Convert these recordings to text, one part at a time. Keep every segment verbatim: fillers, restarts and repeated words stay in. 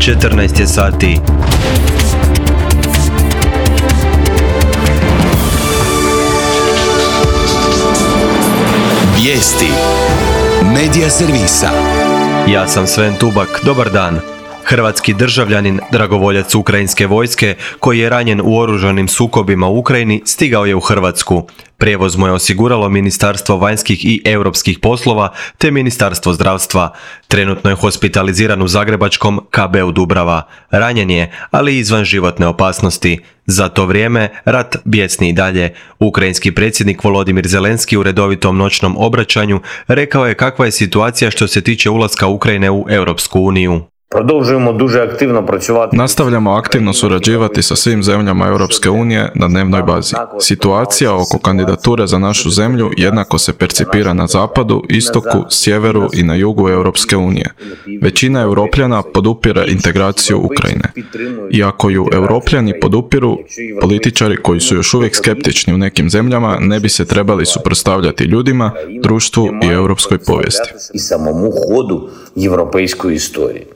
četrnaest je sati. Vijesti Medija servisa. Ja sam Sven Tubak, dobar dan. Hrvatski državljanin, dragovoljac ukrajinske vojske, koji je ranjen u oružanim sukobima u Ukrajini, stigao je u Hrvatsku. Prijevoz mu je osiguralo Ministarstvo vanjskih i europskih poslova te Ministarstvo zdravstva. Trenutno je hospitaliziran u zagrebačkom K B u Dubrava. Ranjen je, ali izvan životne opasnosti. Za to vrijeme rat bijesni i dalje. Ukrajinski predsjednik Volodimir Zelenski u redovitom noćnom obraćanju rekao je kakva je situacija što se tiče ulaska Ukrajine u Europsku uniju. Nastavljamo aktivno surađivati sa svim zemljama Europske unije na dnevnoj bazi. Situacija oko kandidature za našu zemlju jednako se percipira na zapadu, istoku, sjeveru i na jugu Europske unije. Većina Europljana podupire integraciju Ukrajine. I ako ju Europljani podupiru, političari koji su još uvijek skeptični u nekim zemljama ne bi se trebali suprotstavljati ljudima, društvu i europskoj povijesti.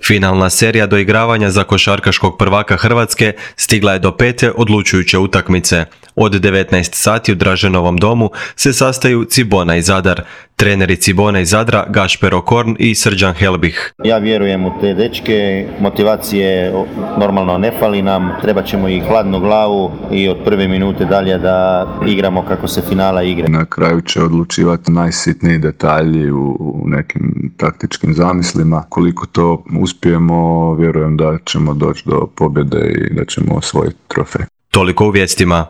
Finalna serija doigravanja za košarkaškog prvaka Hrvatske stigla je do pete odlučujuće utakmice. Od devetnaest sati u Draženovom domu se sastaju Cibona i Zadar. Treneri Cibona i Zadra Gašper Okorn i Srđan Helbih. Ja vjerujem u te dečke, motivacije normalno ne fali nam, treba ćemo i hladnu glavu i od prve minute dalje da igramo kako se finala igra. Na kraju će odlučivati najsitniji detalji u, u nekim taktičkim zamislima. Koliko to uspijemo, vjerujem da ćemo doći do pobjede i da ćemo osvojiti trofej. Toliko u vijestima.